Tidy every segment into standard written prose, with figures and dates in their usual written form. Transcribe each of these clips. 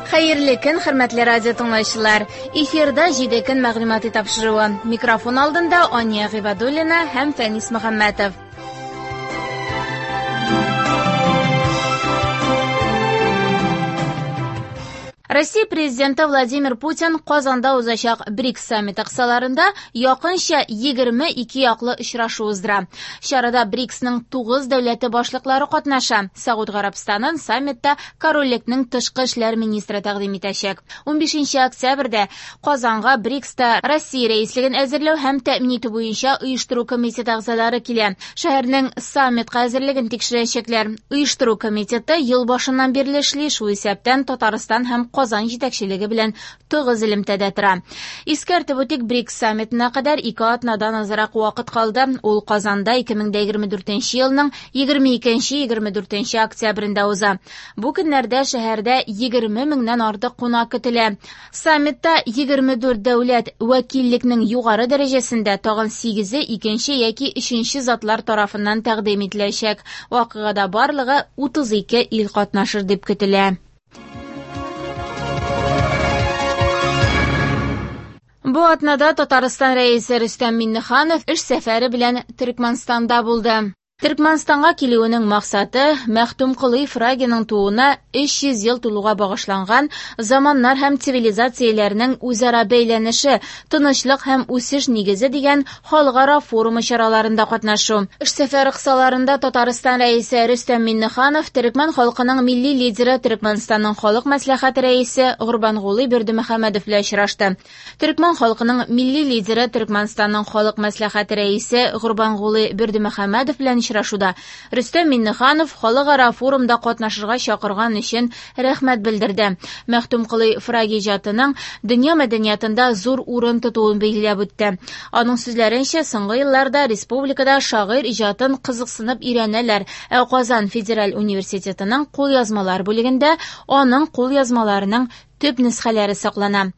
Хәерле көн, хөрмәтле радио тыңлаучылар. Эфирда 7 көн мәгълүмати тапшыруы. Микрофон алдында Ания Гыйбадуллина һәм Фәнис Мөхәммәтов. Россия президенты Владимир Путин Казанда узачак БРИКС саммиты кысаларында якынча 22 яклы очрашу уздыра. Чарада БРИКСның 9 дәүләте башлыклары катнаша. Сауд Гарәбстанын саммитта корольлекнең тышкы эшләр министры тәкъдим итәчәк. 15 октябрьдә Казанга БРИКСта Россия рәислеген әзерләү һәм тәэмин итү буенча оештыру комитеты әгъзалары килә. Шәһәрнең саммитка әзерлеген тикшерәчәкләр. Оештыру комитеты ел башыннан бирле эшли, шул исәптән Татарстан һәм Казан җитәкчелеге белән тыгыз элемтәдә тора. Искәртеп үтик, БРИКС саммитына кадәр 2 атнадан азрак вакыт калды. Ул Казанда 2024 елның 22-24 октябрендә уза. Бу көннәрдә шәһәрдә 20 меңнән артык кунак көтелә. Саммитта 24 дәүләт вәкиллекнең югары дәрәҗәсендә тагын 8-е икенче яки өченче затлар тарафыннан тәкъдим ителәчәк. Вакыйгада барлыгы 32 ил катнашыр дип көтелә. Бу атнада Татарстан рәисе Рөстәм Миңнеханов эш сәфәре белән Төркмәнстанда булды. Төркмәнстанга килүенең максаты Мәхтүмколый Фрагиның тууына 300 ел тулуга багышланган заманнар һәм цивилизацияләрнең үзара бәйләнеше, тынычлык һәм үсеш нигезе дигән халыкара форумы чараларында катнашу. Эш сәфәре кысаларында Татарстан рәисе Рөстәм Миңнеханов төркмән халкының милли лидеры Төркмәнстанның халык мәслихәте рәисе Гурбангулы Бердымөхәммәдов белән очрашты. Төркмән халкының милли лидеры Төркмәнстанның халык мәслихәте рәисе Гурбангулы Бердымөхәммәдов белән очрашуда Рөстәм Миңнеханов халыкара форумда катнашырга чакырган өчен рәхмәт белдерде. Мәхтүмколый Фраги иҗатының дөнья мәдәниятында зур урын тотуын билгеләп үтте. Аның сүзләренчә, соңгы елларда республикада шагыйрь иҗатын кызыксынып өйрәнәләр. Ә Казан федераль университетының кулъязмалар бүлегендә аның кулъязмаларының төп нөсхәләре саклана.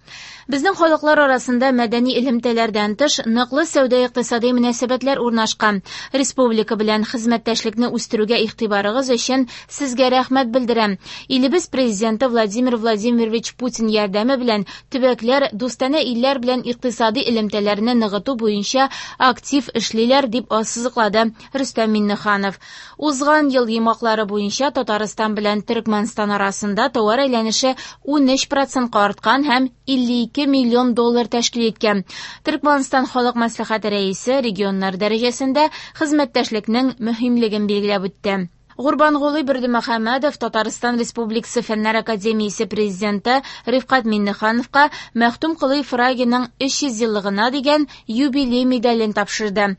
Безнең халыклар арасында мәдәни элемтәләрдән тыш ныклы сәүдә-икътисади мөнәсәбәтләр урнашкан. Республика белән хезмәттәшлекне үстерүгә игътибарыгыз өчен сезгә рәхмәт белдерәм. Илебез президенты Владимир Владимирович Путин ярдәме белән төбәкләр дустанә илләр белән икътисади элемтәләрне ныгыту буенча актив эшлиләр, дип ассызыклады Рөстәм Миңнеханов. Узган ел йомгаклары буенча Татарстан белән Төркмәнстан арасында товар әйләнеше 13%-ка арткан һәм 52 миллион доллар тәшкил иткән. Төркмәнстан халык мәслихәте рәисе регионнар дәрәҗәсендә хезмәттәшлекнең мөһимлеген билгеләп үтте. Гурбангулы Бердымөхәммәдов Татарстан Республикасы Фәннәр академиясе президенты Рифкать Миңнехановка Мәхтүмколый Фрагиның 300 еллыгына дигән юбилей медален тапшырды.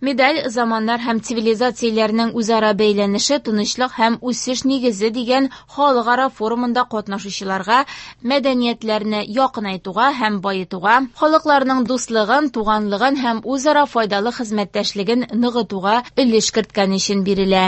Медаль заманнар һәм цивилизацияләрнең үзара бәйләнеше, тынычлык һәм үсеш нигезе дигән халыкара форумында катнашучыларга мәдәниятләрне якынайтуга һәм баетуга, халыкларның дуслыгын, туганлыгын һәм үзара файдалы хезмәттәшлеген ныгытуга өлеш керткән өчен бирелә.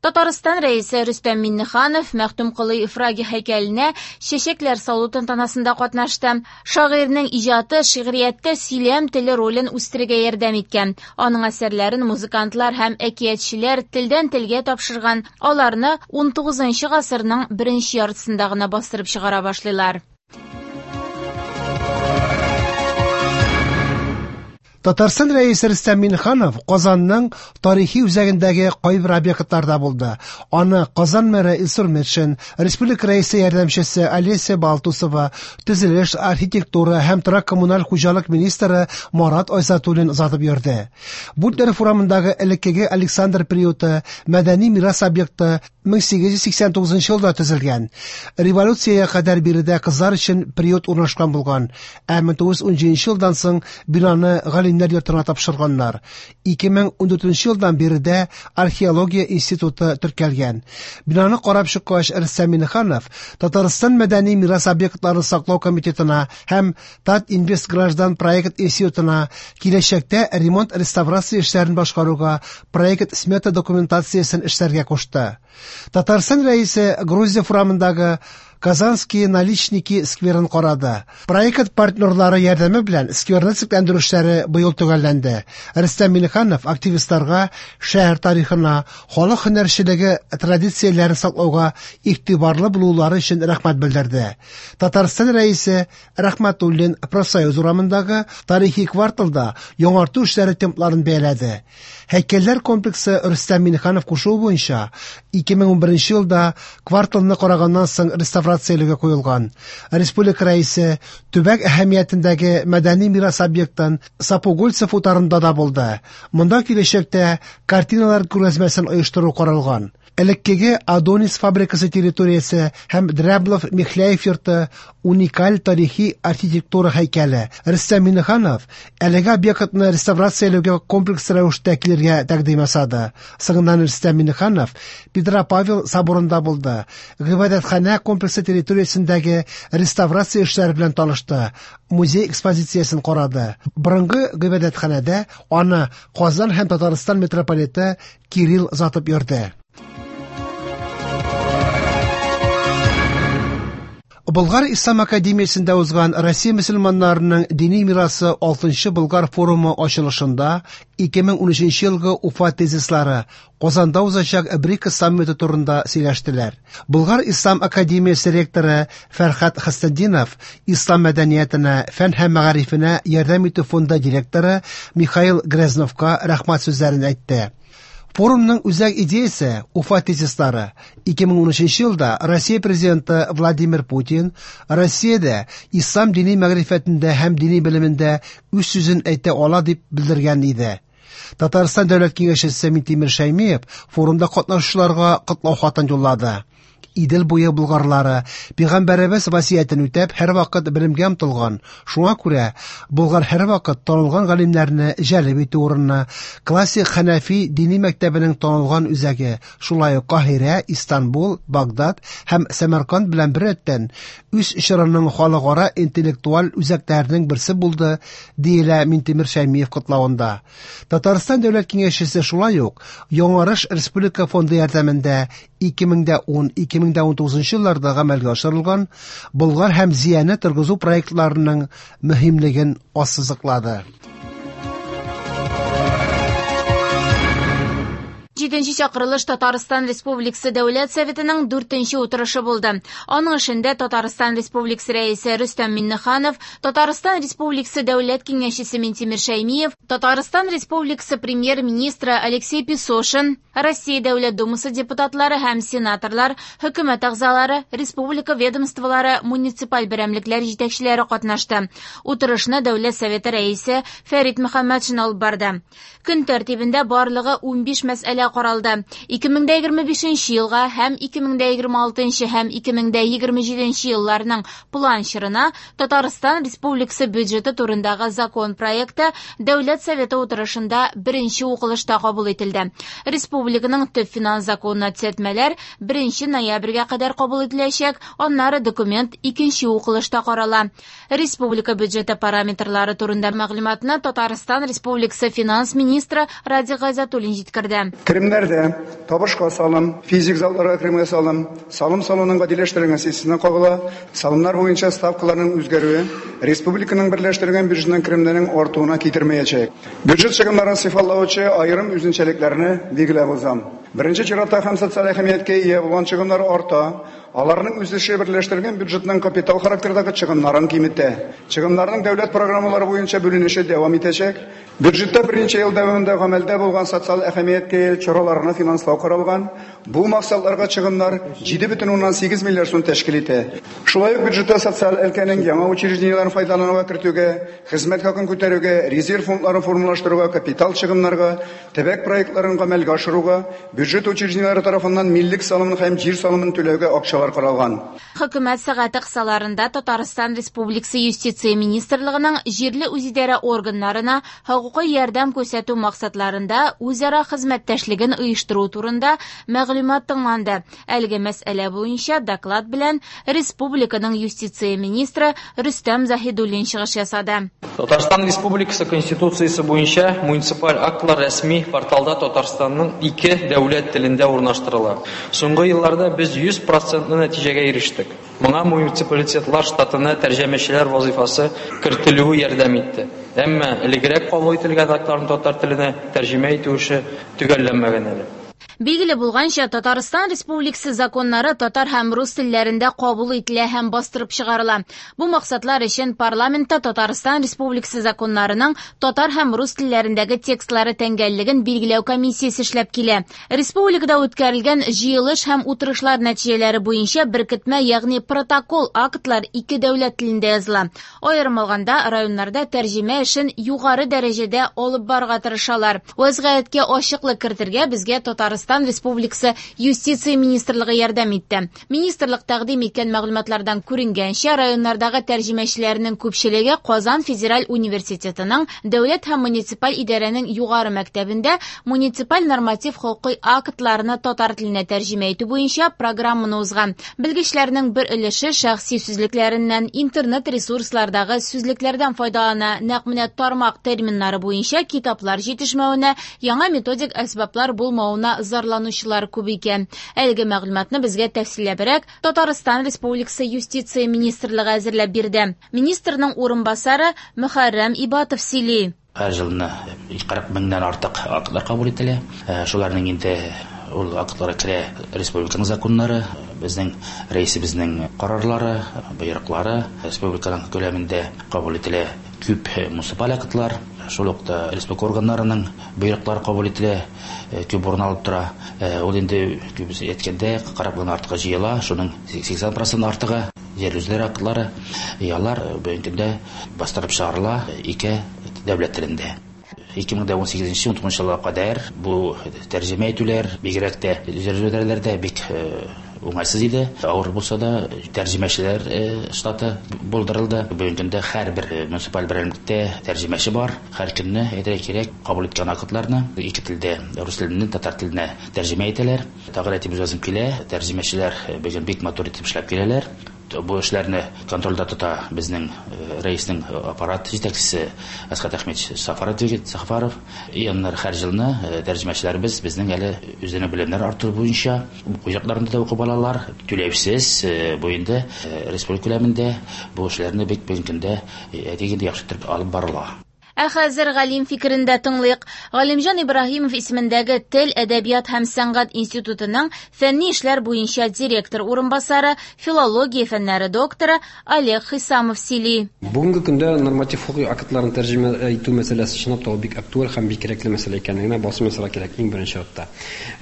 Татарстан рәисе Рөстәм Миңнеханов Мәхтүмколый Фраги һәйкәленә чәчәкләр салу тантанасында катнашты. Шагыйрьнең иҗаты шигърияттә сөйләм теле ролен үстерергә ярдәм иткән. Аның әсәрләрен музыкантлар һәм әкиятчеләр телдән телгә тапшырган. Аларны 19 гасырның беренче яртысында гына бастырып чыгара башлыйлар. Татарстан рәисе Рөстәм Миңнеханов Казанның тарихи үзәгендәге кайбер объектларда булды. Аны Казан мэры Илсур Метшин, республика рәисе ярдәмчесе Олеся Балтусова, төзелеш, архитектура һәм торак-коммуналь хуҗалык министры Марат Айзатуллин озатып йөрде. Бутлеров урамындагы элеккеге Александр приюты мәдәни мирас объекты 1889 елда төзелгән. Революциягә кадәр биредә кызлар өчен приют урнашкан булган, ә 1917 елдан соң бинаны галимнәр йортына тапшырганнар. 2014 елдан биредә археология институты теркәлгән. Бинаны карап чыккач, Рөстәм Миңнеханов Татарстан мәдәни мирас объектларын саклау комитетына һәм Татинвестграждан проект институтына киләчәктә ремонт-реставрация эшләрен башкаруга проект-смета документациясен эшләргә кушты. Татарстан рәисе Грузия форамындагы Казанские наличники скверын карады. Проект партнерлары ярдәме белән скверны төзекләндерү эшләре быел төгәлләнде. Рөстәм Миңнеханов активистларга шәһәр тарихына, халык һөнәрчелеге традицияләрен саклауга игътибарлы булулары өчен рәхмәт белдерде. Татарстан Рәисе Рәхмәтуллин Профсоюз урамындагы тарихи кварталда яңарту эшләре темпларын бәяләде. Һәйкәлләр комплексы Рөстәм Миңнеханов кушуы буенча 2011 елда кварталны караганнан соң реставрацияләүгә куелган. Республика Рәисе төбәк әһәмиятендәге мәдәни мирас объектын Сапогульцев утарында да булды. Монда киләчәктә картиналар күргәзмәсен оештыру каралган. Элеккеге Адонис фабрикасы территориясе һәм Дряблов Михляев йорты уникаль тарихи архитектура һәйкәле. Рөстәм Миңнеханов әлеге объектны реставрацияләүгә комплекс рәвештә килергә тәкъдим ясады. Соңыннан Рөстәм Миңнеханов Петропавел соборында булды. Гыйбадәтханә комплексы территориясендәге реставрация эшләре белән танышты. Музей экспозициясен карады. Борынгы гыйбадәтханәдә аны Казан һәм Татарстан митрополиты Кирилл озатып йөрде. Болгар Ислам академиясендә узган Россия мөселманнарының дини мирасы 6-нчы Болгар форумы ачылышында 2013 елгы Уфа тезислары Казанда узачак БРИКС саммиты турында сөйләштеләр. Болгар Ислам академиясе ректоры Фәрхат Хәсәндинов Ислам мәдәниятенә, фән һәм мәгарифенә ярдәм итү фонды директоры Михаил Грязновка рәхмәт сүзләрен әйтте. Форумның үзәк идеясе Уфа тезислары. 2013 елда Россия президенты Владимир Путин Россиядә ислам дини мәгърифәтендә һәм дини белемендә үз сүзен әйтә ала дип белдергән иде. Татарстан дәүләт киңәшчесе Минтимер Шәймиев форумда катнашучыларга котлау хатын юллады. Идел буе булгарлары пәйгамбәребез васыятен үтәп һәрвакыт белемгә омтылган. Шуңа күрә Болгар һәрвакыт танылган галимнәрне җәлеп итү урыны, классик Хәнәфи дини мәктәбенең танылган үзәге, шулай ук Каһирә, Истанбул, Багдад һәм Сәмәрканд белән беррәттән үз чорының халыкара интеллектуаль үзәкләренең берсе булды, диелә Минтимер Шәймиев котлавында. Татарстан дәүләт киңәшчесе шулай ук Яңарыш республика фонды ярдәмендә 2010-2019 елларда гамәлгә ашырылган Болгар һәм Зияне торгызу проектларының мөһимлеген ассызыклады. 7-нче чакырылыш Татарстан Республикасы Дәүләт Советының 4-нче утырышы булды. Аның эшендә Татарстан Республикасы Рәисе Рөстәм Миңнеханов, Татарстан Республикасы Дәүләт Киңәшчесе Минтимер Шәймиев, Татарстан Республикасы Премьер-министры Алексей Песошин, Россия Дәүләт Думасы депутатлары һәм сенаторлар, хөкүмәт әгъзалары, республика ведомстволары, муниципаль берәмлекләр җитәкчеләре катнашты. Утырышны Дәүләт Советы рәисе Фәрит Мөхәммәтшин алып барды. Көн тәртибендә барлыгы 15 мәсьәлә каралды. 2025 елга һәм 2026 һәм 2027 елларның план чорына Татарстан Республикасы бюджеты турындагы закон проекты Дәүләт Советы утырышында беренче укылышта кабул ителде. Республиканың төп финанс законына төзәтмәләр 1 ноябрьгә кадәр кабул ителәчәк, аннары документ икенче укылышта карала. Республика бюджеты параметрлары турында мәгълүматны Татарстан Республикасы финанс министры Радик Гайзатуллин җиткерде. Керемнәрдә табышка салым, физик затларга керемгә салым, салым салуның гадиләштерелгән системасына кагыла, салымнар буенча ставкаларның үзгәрүе республиканың берләштерелгән бюджетының керемнәренең артуына китермәячәк. Бюджет чыгымнарын сыйфатлаучы аерым үзенчәлекләрне билгеләп узам. Беренче чиратта һәм социаль әһәмияткә ия булган чыгымнар арта, аларның үсеше берләштерелгән бюджетның капитал характердагы чыгымнарын киметә. Чыгымнарның дәүләт программалары буенча бүленеше дәвам итәчәк. Бюджетта берничә ел дәвамында гамәлдә булган социаль әһәмияткә ия чараларны финанслау каралган. Бу максатларга чыгымнар 7,8 миллиард сум тәшкил итә. Шулай ук бюджетта социаль өлкәнең яңа учреждениеләрен файдалануга кертүгә, хезмәт хакын күтәрүгә, резерв фондларын формалаштыруга, капитал чыгымнарга, төбәк проектларын гамәлгә ашыруга, бюджет учреждениеләре тарафыннан миллек салымын һәм җир салымын түләүгә акчалар каралган. Хөкүмәт сәгате кысаларында Татарстан Республикасы Юстиция министрлыгының җирле үзидарә органнарына хокукый ярдәм күрсәтү максатларында үзара хезмәттәшлеген оештыру турында мәгълүмат тыңланды. Әлеге мәсьәлә буенча доклад белән республиканың юстиция министры Рөстәм Заһидуллин чыгыш ясады. Татарстан Республикасы Конституциясе буенча муниципаль актлар рәсми порталда Татарстанның ике дәүләт телендә урнаштырыла. Соңгы елларда без 100% нәтиҗәгә ирештек. Моңа муниципалитетлар штатына тәрҗемәчеләр вазифасы кертелүе ярдәм итте. Әмма элегрәк кабул ителгән актларны татар теленә тәрҗемә итү эше төгәлләнмәгән әле. Билгеле булганча, Татарстан Республикасы законнары татар һәм рус телләрендә кабул ителә һәм бастырып чыгарыла. Бу максатлар өчен парламентта Татарстан Республикасы законнарының татар һәм рус телләрендәге текстлары тәңгәллеген билгеләү комиссиясе эшләп килә. Республикада үткәрелгән җыелыш һәм утырышлар нәтиҗәләре буенча беркетмә, ягъни протокол актлар ике дәүләт телендә языла. Аерым алганда, районнарда тәрҗемә эшен югары дәрәҗәдә алып барырга тырышалар. Вәзгыятькә ачыклык кертергә безгә Татарстан Республикасы Юстиция министрлыгы ярдәм итте. Министрлык тәкъдим иткән мәгълүматлардан күренгәнчә, районнардагы тәрҗемәчеләрнең күпчелеге Казан федераль университетының дәүләт һәм муниципаль идарәнең югары мәктәбендә муниципаль норматив хокукый актларны татар теленә тәрҗемә итү буенча программаны узган. Белгечләрнең бер өлеше шәхси сүзлекләреннән, интернет ресурслардагы сүзлекләрдән файдалана. Нәкъ менә тармак терминнары буенча китаплар җитешмәвенә, яңа методик әсбаплар булмавына зарланучылар күп икән. Әлеге мәгълүматны безгә тәфсилләбрәк Татарстан Республикасы Юстиция министрлыгы әзерләп бирде. Министрның урынбасары Мөхәррәм Ибатов сөйли. Һәр елны 40 меңнән артык актлар кабул ителә. Шуларның инде ул актларга керә республиканың законнары, безнең рәисебезнең карарлары, боерыклары, республиканың күләмендә кабул ителә күп муниципаль актлар, шул ук та республика органнарының боерыклары кабул ителә, күп урын алып тора. Ул инде күбесе әйткәндә 40 меңнән артыгы җыела, шуның 80% артыгы җирле үзидарә актлары, алар бүгенге көндә бастырып чыгарыла ике дәүләт телендә. 2018-19 елга кадәр бу тәрҗемә итүләр бигрәк тә җирле үзидарәләрдә бик уңайсыз иде. Авыр булса да тәрҗемәчеләр штаты булдырылды. Бүгенге көндә һәрбер муниципаль берәмлектә тәрҗемәче бар. Һәр көнне әйтергә кирәк, кабул иткән актларны ике телдә, рус теленнән татар теленә тәрҗемә итәләр. Тагын әйтеп узасым килә, тәрҗемәчеләр бүген бик матур итеп эшләп киләләр. Бу эшләрне контрольдә тота безнең рәиснең аппарат җитәкчесе Әсхәт Әхмәтович Сафаров. И аннары һәр елны тәрҗемәчеләребез безнең әле үзләренең белемнәр арттыру буенча уку йортларында да укып алалар. Түләүсез бу инде республика күләмендә бу эшләрне бик бүгенге көндә әйтик инде яхшы итеп алып барыла. Ә хәзер галим фикерен дә тыңлыйк. Галимҗан Ибраһимов исемендәге Тел, әдәбият һәм сәнгать институтының фәнни эшләр буенча директор урынбасары, филология фәннәре докторы Олег Хисамов сөйли. Бүгенге көндә норматив хокукый актларын тәрҗемә итү мәсьәләсе чынлап та бик актуаль һәм бик кирәкле мәсьәлә икәнлегенә басым ясарга кирәк иң беренче чиратта.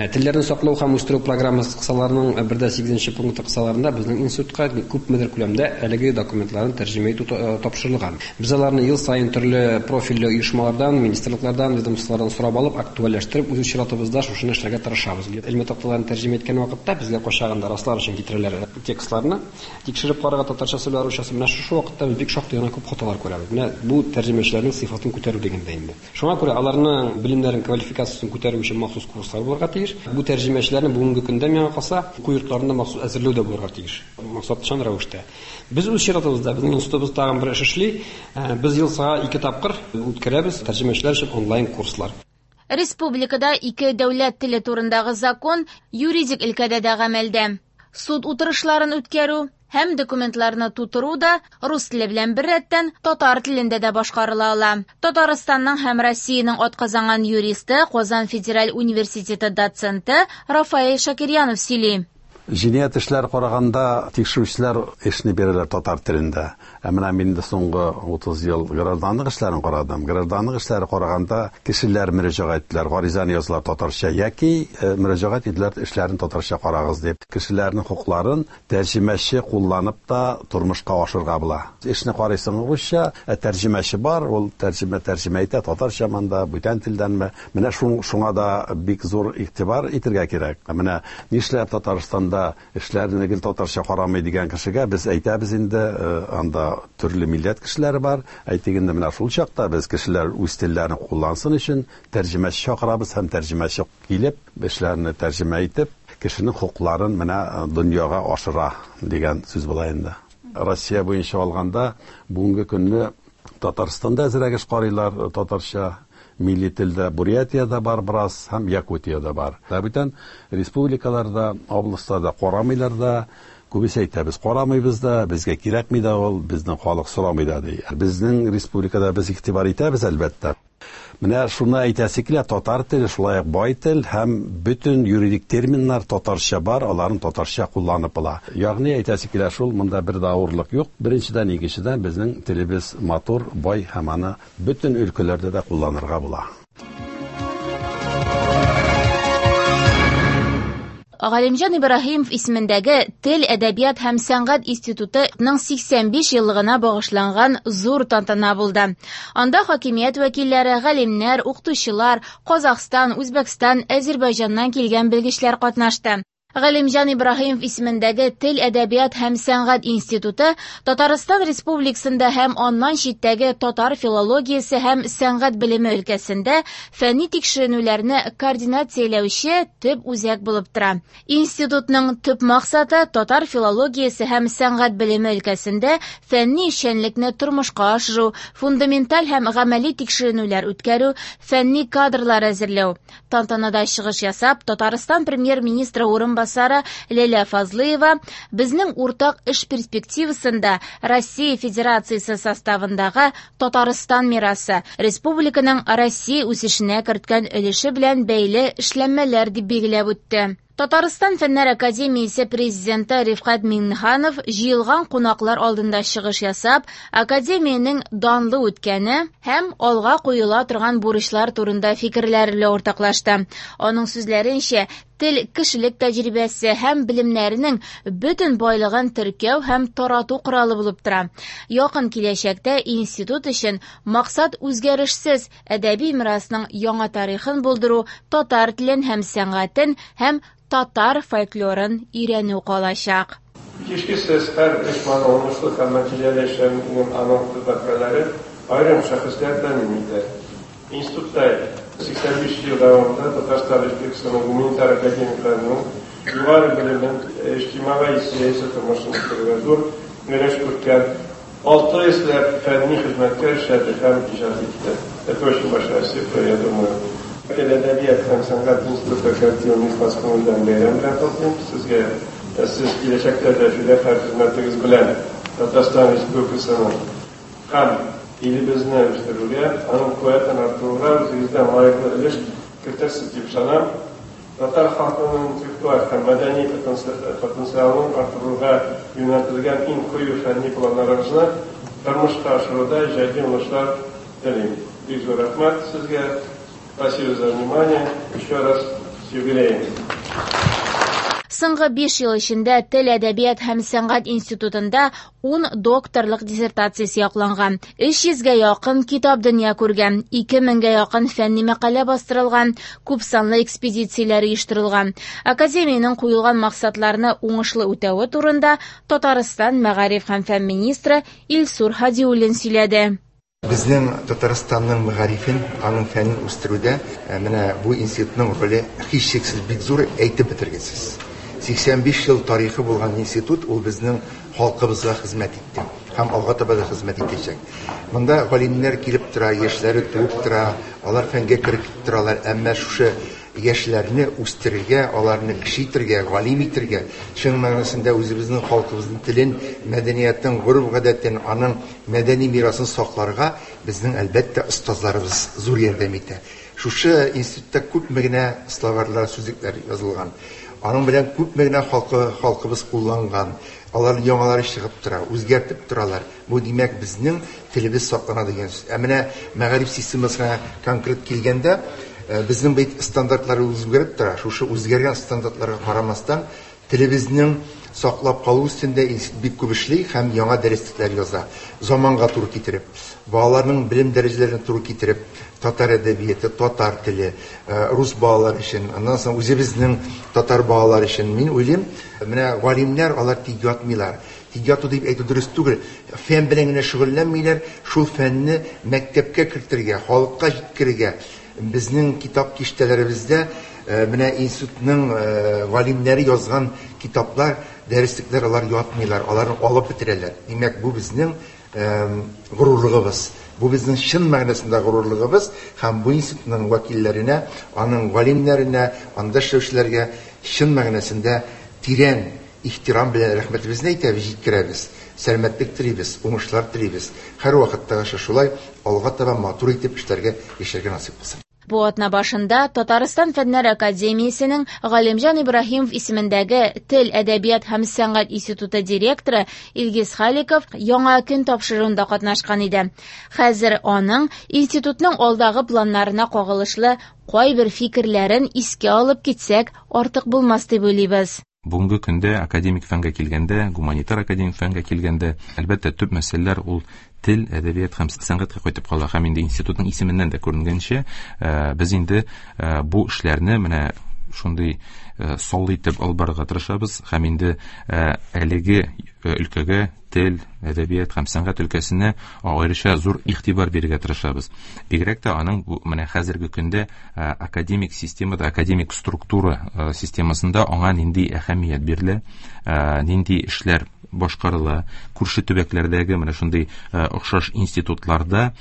Телләрне саклау һәм үстерү программасы кысаларының 1.8 пункты кысаларында безнең институтка күпмедер күләмдә әлеге документларны тәрҗемә итү тапшырылган. Без аларны ел саен төрле профильле оешмалардан, министрлыклардан, ведомстволардан сорап алып, актуальләштереп, үз чиратыбызда шушыны эшләргә тырышабыз. Элмә такталарын тәрҗемә иткән вакытта безгә кайчагында раслар өчен китерәләр текстларны, тикшереп карарга татарча сөйләр, русча. Менә шушы вакытта без бик шактый гына күп хаталар күрәбез. Менә бу тәрҗемәчеләрнең сыйфатын күтәрү дигәндә инде. Шуңа күрә аларның белемнәрен, квалификациясен күтәрү өчен махсус курслар булырга тиеш. Бу тәрҗемәчеләрне бүгенге көндә миңа калса, уку йортларында махсус әзерләү дә булырга тиеш. Максатчан рәвештә. Без үз чиратыбызда, безнең институтыбыз тагын бер эш эшли. Без ел саен 2 тапкыр үткәрәбез тәрҗемәчеләр өчен онлайн курслар. Республикада ике дәүләт теле турындагы закон юридик өлкәдә дә гамәлдә. Суд утырышларын үткәрү һәм документларны тутыру да рус теле белән беррәттән татар телендә дә башкарыла ала. Татарстанның һәм Россиянең атказанган юристы, Казан федераль университеты доценты Рафаэль Шакирьянов сөйли. Җинаять эшләр караганда тикшерүчеләр эшне бирәләр татар телендә. Ә менә мин инде соңгы 30 ел гражданлык эшләрен карадым. Гражданлык эшләре караганда кешеләр мөрәҗәгать иттеләр, гаризаны язалар татарча яки мөрәҗәгать иттеләр эшләрен татарча карагыз дип. Кешеләрнең хокукларын тәрҗемәче кулланып та тормышка ашырга була. Эшне карыйсың русча, ә тәрҗемәче бар, ул тәрҗемә итә татарча монда, бүтән телдәнме. Менә шуңа да бик зур игътибар итергә кирәк. Менә нишләп Татарстанда эшләрне гел татарча карамый дигән кешегә без әйтәбез инде, анда төрле милләт кешеләре бар. Әйтик инде, менә шул чакта без кешеләр үз телләрен куллансын өчен тәрҗемәче чакырабыз һәм тәрҗемәче килеп эшләрне тәрҗемә итеп кешенең хокукларын менә дөньяга ашыра дигән сүз була инде. Россия буенча алганда бүгенге көнне Татарстанда әзрәк эш карыйлар татарча, милли телдә Бурятиядә бар бераз һәм Якутиядә бар. Ә бүтән республикаларда, областьларда карамыйлар да, Күбесе әйтә, без карамыйбыз да, безгә кирәкми дә ул, безнең халык сорамый да ди. Безнең республикада без игътибар итәбез, әлбәттә. Менә шуны әйтәсе килә, татар теле шулай ук бай тел һәм бөтен юридик терминнар татарча бар, аларын татарча кулланып була. Ягъни әйтәсе килә шул, монда бер дә авырлык юк. Беренчедән, икенчедән, безнең телебез матур, бай һәм аны бөтен өлкәләрдә дә кулланырга була. Галимҗан Ибраһимов исемендәге Тел, әдәбият һәм сәнгать институтының 85 еллыгына багышланган зур тантана булды. Анда хакимият вәкилләре, галимнәр, укытучылар, Казахстан, Үзбәкстан, Әзербайҗаннан килгән белгечләр катнашты. Галимҗан Ибраһимов исемендәге Тел, әдәбият һәм сәнгать институты Татарстан Республикасында һәм аннан читтәге татар филологиясе һәм сәнгать белеме өлкәсендә фәнни тикшеренүләрне координацияләүче төп үзәк булып тора. Институтның төп максаты татар филологиясе һәм сәнгать белеме өлкәсендә фәнни эшчәнлекне тормышка ашыру, фундаменталь һәм гамәли тикшеренүләр үткәрү, фәнни кадрлар әзерләү. Тантанада чыгыш ясап, Татарстан премьер-министры урынбасары Ләйлә Фазлыева безнең уртак эш перспективасында Россия Федерациясе составындагы Татарстан мирасы, республиканың Россия үсешенә керткән өлеше белән бәйле эшләнмәләр дип билгеләп үтте. Татарстан Фәннәр академиясе президенты Рифкать Миңнеханов җыелган кунаклар алдында чыгыш ясап, академиянең данлы үткәне һәм алга куела торган бурычлар турында фикерләр белән уртаклашты. Аның сүзләренчә, тел кешелек тәҗрибәсе һәм белемнәренең бөтен байлыгын теркәү һәм тарату коралы булып тора. Якын киләчәктә институт өчен максат үзгәрешсез әдәби мирасның яңа тарихын булдыру, татар телен һәм сәнгатен һәм татар фольклорын өйрәнү калачак. Һичшиксез, һәр оешманың уңышлы һәм нәтиҗәле эшләвен аның хезмәткәрләре, аерым шәхесләр тәэмин итә. Институтта 85 ел дәвамында Татарстан Республикасының гуманитар академикларының югары белемен, иҗтимагый-сәяси тормышын үстерүгә зур өлеш керткән 600 ләп фәнни хезмәткәр эшләде һәм иҗат итте. Это очень большая цифра, я думаю. Тел, әдәбият һәм сәнгать институты коллективын ихлас күңелдән бәйрәм белән котлыйм. Сезгә сез киләчәктә дә фидакарь хезмәтегез белән Татарстан Республикасының һәм илебезне үстерүгә, аның куәтен арттыруга үзегездән лаеклы өлеш кертерсез дип ышанам. Татар халкының интеллектуаль һәм мәдәни потенциалын арттыруга юнәлтелгән иң кыю фәнни планнарыгызны тормышка ашыруда иҗади уңышлар телим. Бик зур рәхмәт сезгә. Спасибо за внимание. Еще раз с юбилеем. Соңгы 5 ел эчендә Тел, әдәбият һәм сәнгать институтында 10 докторлык диссертациясе якланган, 300гә якын китап дөнья күргән, 2000гә якын фәнни мәкалә бастырылган, күп санлы экспедицияләр оештырылган. Академиянең куелган максатларны уңышлы үтәве турында Татарстан мәгариф һәм фән министры Илсур Һадиуллин сөйләде. Безнең Татарстанның мәгарифен, аның фәнен үстерүдә менә бу институтның роле һичшиксез бик зур, әйтеп бетергесез. 85 ел тарихы булган институт ул безнең халкыбызга хезмәт итте һәм алга таба да хезмәт итәчәк. Монда галимнәр килеп тора, яшьләре туып тора, алар фәнгә кереп торалар, әмма шушы яшьләрне үстерергә, аларны кеше итергә, галим итергә, чын мәгънәсендә үзебезнең халкыбызның телен, мәдәниятен, гореф-гадәтен, аның мәдәни мирасын сакларга безнең, әлбәттә, остазларыбыз зур ярдәм итә. Шушы институтта күпме генә словарьлар, сүзлекләр язылган. Аның белән күпме генә халкыбыз кулланган. Алар яңалары чыгып тора, үзгәртеп торалар. Бу димәк, безнең телебез саклана дигән сүз. Ә менә мәгариф системасына конкрет килгәндә, безнең бит стандартлар үзгәреп тора. Шушы үзгәргән стандартларга карамастан, телебезнең саклап калу өстендә институт бик күп эшли һәм яңа дәреслекләр яза. Заманга туры китереп, балаларның белем дәрәҗәләренә туры китереп, татар әдәбияты, татар теле, рус балалар өчен, аннан соң үзебезнең татар балалар өчен. Мин уйлыйм, менә галимнәр алар тик ятмыйлар. Тик яту дип әйтү дөрес түгел. Фән белән генә шөгыльләнмиләр, шул фәнне мәктәпкә кертергә, халыкка җиткерергә. Безнең китап киштәләребездә менә институтның галимнәре язган китаплар, дәреслекләр алар ятмыйлар, аларны алып бетерәләр. Димәк, бу безнең горурлыгыбыз. Бу безнең чын мәгънәсендә горурлыгыбыз һәм бу институтның вәкилләренә, аның галимнәренә, анда эшләүчеләргә чын мәгънәсендә тирән ихтирам белән рәхмәтебезне әйтәбез, җиткерәбез. Сәламәтлек телибез, уңышлар телибез. Һәрвакыттагыча шулай алга таба матур итеп эшләргә, яшәргә насыйп булсын. Бу атна башында Татарстан Фәннәр академиясенең Галимҗан Ибраһимов исемендәге Тел, әдәбият һәм сәнгать институты директоры Илгиз Халиков Яңа көн тапшыруында катнашкан иде. Хәзер аның институтның алдагы планнарына кагылышлы кайбер фикерләрен искә алып китсәк, артык булмас дип уйлыйбыз. Бүгенге көндә академик фәнгә килгәндә, гуманитар академик фәнгә килгәндә, әлбәттә, төп мәсьәләләр ул тел, әдәбият һәм сәнгатькә кайтып кала. Һәм инде институтның исеменнән дә күренгәнчә, без инде бу эшләрне менә шундый саллы итеп алып барырга тырышабыз һәм инде әлеге өлкәгә тел, әдәбият һәм сәнгать өлкәсенә аеруча зур игътибар бирергә тырышабыз. Бигрәк тә аның бу менә хәзерге көндә академик системада, академик структура системасында аңа нинди әһәмият бирелә, нинди эшләр башкарыла, күрше төбәкләрдәге менә шундый охшаш институтларда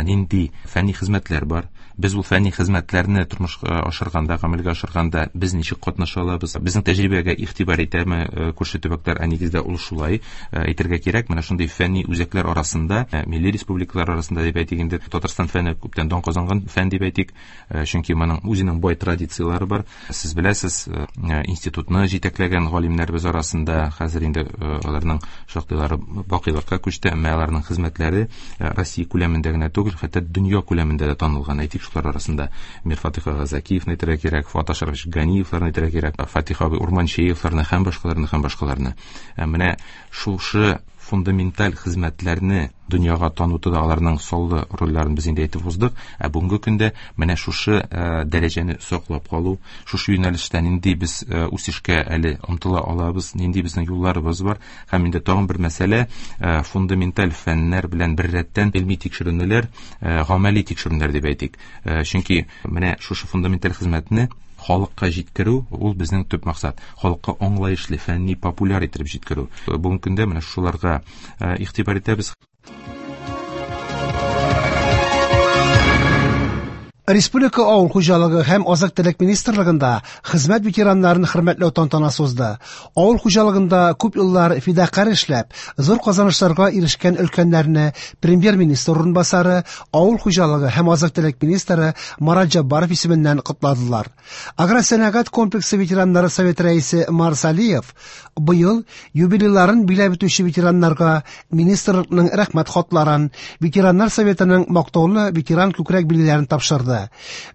нинди фәнни хезмәтләр бар. Без ул фәнни хезмәтләрне тормышка ашырганда, гамәлгә ашырганда без ничек катнаша алабыз? Безнең тәҗрибәгә игътибар итәме күрше төбәкләр? Ә нигездә ул шулай әйтергә кирәк. Менә шундый фәнни үзәкләр арасында, милли республикалар арасында дип әйтик инде, Татарстан фәне күптән дан казанган фән дип әйтик, чөнки моның үзенең бай традицияләре бар. Сез беләсез, институтны җитәкләгән галимнәребез арасында хәзер инде аларның шактыйлары бакыйлыкка күчте, әмма аларның хезмәтләре Россия күләмендә генә түгел, хәтта дөнья күләмендә дә танылган. Әйтик, шулар арасында Мирфатыйх ага Закиевны әйтергә кирәк, Фуат Ашрафович Ганиевларны әйтергә кирәк, Фатих абый Урманчеевларны һәм башкаларны һәм башкаларны. Менә шушы фундаменталь хезмәтләрне дөньяга танытуда аларның саллы рольләрен без инде әйтеп уздык. Ә бүгенге көндә менә шушы дәрәҗәне саклап калу, шушы юнәлештә нинди без үсешкә әле омтыла алабыз, нинди безнең юлларыбыз бар. Һәм инде тагын бер мәсьәлә, фундаменталь фәннәр белән беррәттән илми тикшеренүләр, гамәли тикшеренүләр дип әйтик. Чөнки менә шушы фундаменталь хезмәтне халыкка җиткерү ул безнең төп максат. Халыкка аңлаешлы, фәнни, популяр итеп җиткерү. Бүгенге көндә менә шуларга игътибар итәбез. Республика авыл хуҗалыгы һәм азык-төлек министрлыгында хезмәт ветераннарын хөрмәтләү тантанасы узды. Авыл хуҗалыгында күп еллар фидакарь эшләп, зур казанышларга ирешкән өлкәннәрне премьер-министр урынбасары, авыл хуҗалыгы һәм азык-төлек министры Марат Җаббаров исеменнән котладылар. Агросәнәгать комплексы ветераннары советы рәисе Марс Алиев быел юбилейларын биләп үтүче ветераннарга министрлыкның рәхмәт хатларын, ветераннар советының мактаулы ветеран күкрәк билгеләрен тапшырды.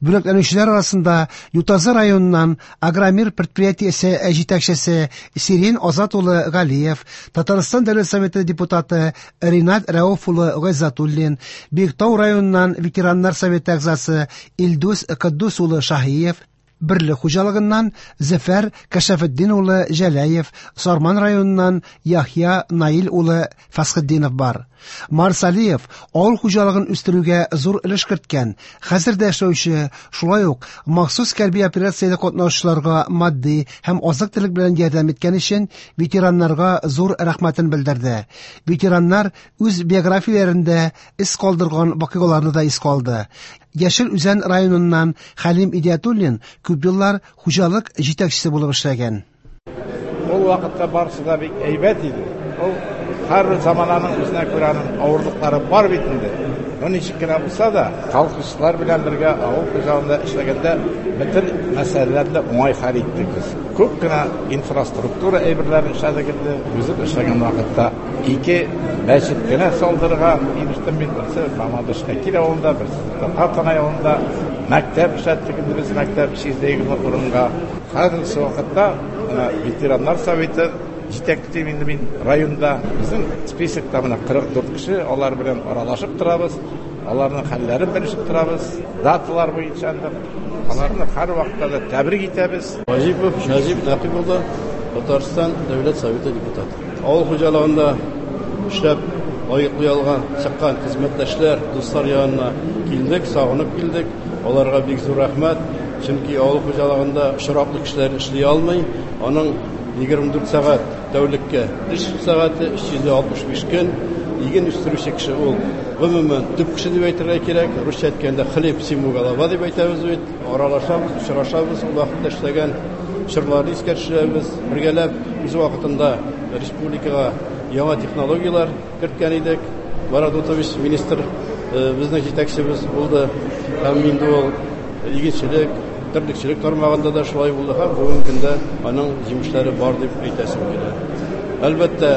Бүләкләнүчеләр арасында Ютазы районыннан Агромир предприятиесе җитәкчесе Сирин Азат улы Галиев, Татарстан Дәүләт Советы депутаты Ринат Рәүф улы Гайзатуллин, Биектау районыннан ветераннар советы әгъзасы Илдус Каддус улы Шаһиев, Берлек хуҗалыгыннан Зөфәр Кәшәфетдин улы Җәләев, Сарман районыннан Яхья Наил улы Фәсхетдинов бар. Марс Алиев авыл хуҗалыгын үстерүгә зур өлеш керткән, хәзер дә эшләүче, шулай ук махсус хәрби операциядә катнашучыларга матди һәм азык-төлек белән ярдәм иткән өчен ветераннарга зур рәхмәтен белдерде. Ветераннар үз биографияләрендә эз калдырган вакыйгаларны да искә алды. Яшел Үзән районыннан Хәлим Идиятуллин күп еллар хуҗалык җитәкчесе булып эшләгән. Ул вакытта барысы да бик әйбәт иде. Ул һәрбер замананың үзенә күрә аның авырлыклары бар бит инде. Но ничек кенә булса да, колхозчылар белән бергә авыл хуҗалыгында эшләгәндә бөтен мәсьәләләрне уңай хәл иттек без. Күп кенә инфраструктура әйберләрен эшләдек инде. Үзем эшләгән вакытта ике мәчет кенә салдырырга ирештем мин. Берсе Мамадыш Әкил авылында, берсе Татар Танай авылында. Мәктәп эшләттек инде без, мәктәп 320 урынга. Хәзерге вакытта ветераннар советы җитәклим инде мин районда. Безнең списокта менә 44 кеше, алар белән аралашып торабыз, аларның хәлләрен белешеп торабыз, даталар буенча инде аларны һәр вакытта да тәбрик итәбез. Ваҗипов Нәҗип Нәкыйп улы, Татарстан Дәүләт Советы депутаты. Авыл хуҗалыгында эшләп лаеклы ялга чыккан хезмәттәшләр, дуслар янына килдек, сагынып килдек. Аларга бик зур рәхмәт, чөнки авыл хуҗалыгында очраклы кешеләр эшли алмый. Аның 24 сәгать тәүлеккә эш сәгате, 365 көн. Иген үстерүче кеше ул гомумән төп кеше дип әйтергә кирәк. Русча әйткәндә хлеб всему голова дип әйтәбез бит. Аралашабыз, очрашабыз. Ул вакытта эшләгән чорларны искә төшерәбез. Бергәләп үз вакытында республикага яңа технологияләр керткән идек. Марат Дутович министр безнең җитәкчебез булды. Һәм инде ул игенчелек, терлекчелек тармагында да шулай булды һәм бүгенге көндә аның җимешләре бар дип әйтәсем килә. Әлбәттә,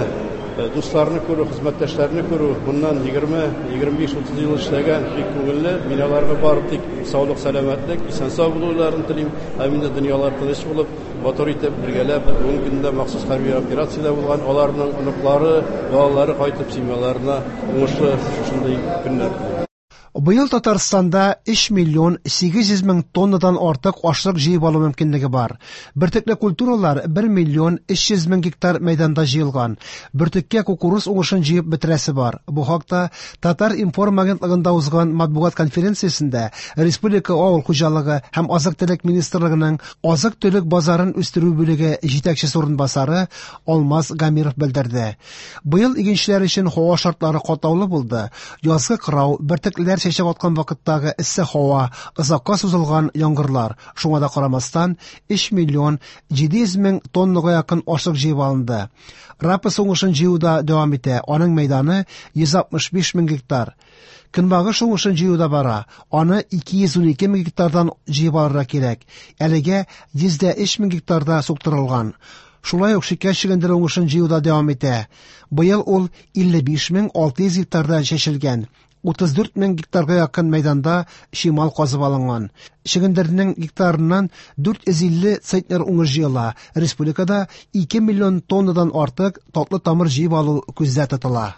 дусларны күрү, хезмәттәшләрне күрү, моннан 20, 25, 30 ел эшләгән бик күңелле. Мин аларга бары тик саулык, сәламәтлек, исән-сау булуларын телим. Һәм инде дөньялар тыныч булып, матур итеп, бергәләп, бүгенге көндә махсус хәрби операциядә булган аларның оныклары, балалары кайтып семьяларына уңышлы шушындый көннәр телим. Быел Татарстанда 3 миллион 800 мең тоннадан артык ашлык җыеп алу мөмкинлеге бар. Бөртекле культуралар 1 миллион 300 мең гектар мәйданда җыелган. Бөртеккә кукуруз уңышын җыеп бетерәсе бар. Бу хакта Татар-информ агентлыгында узган матбугат конференциясендә Республика авыл хуҗалыгы һәм азык-төлек министрлыгының азык-төлек базарын үстерү бүлеге җитәкчесе урынбасары Алмаз Гамиров белдерде. Быел игенчеләр өчен һава шартлары катлаулы булды. Язгы кырау, бөртеклеләр чәчәк аткан вакыттагы эссе һава, озакка сузылган яңгырлар. Шуңа да карамастан, 3 миллион 700 мең тоннага якын ашлык җыеп алынды. Рапс уңышын җыю да дәвам итә. Аның мәйданы 165 мең гектар. Көнбагыш уңышын җыю да бара. Аны 212 мең гектардан җыеп алырга кирәк. Әлегә 103 мең гектарда суктырылган. Шулай ук шикәр чөгендере уңышын җыю да дәвам итә. Быел ул 55 600 гектарда чәчелгән. 34 мең гектарга якын мәйданда чимал казып алынган. Чөгендернең гектарыннан 450 центнер уңыш җыела. Республикада 2 миллион тоннадан артык татлы тамыр җыеп алу күздә тотыла.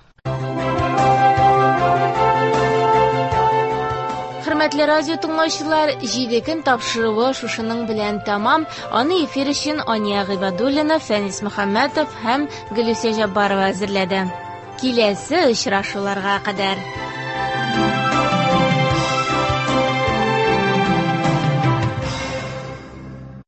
Хөрмәтле радио тыңлаучылар, 7 көн тапшыруы шушының белән тәмам. Аны эфир өчен Ания Гыйбадуллина, Фәнис Мөхәммәтов һәм Гөлүсә Җаббарова әзерләде. Киләсе очрашуларга кадәр.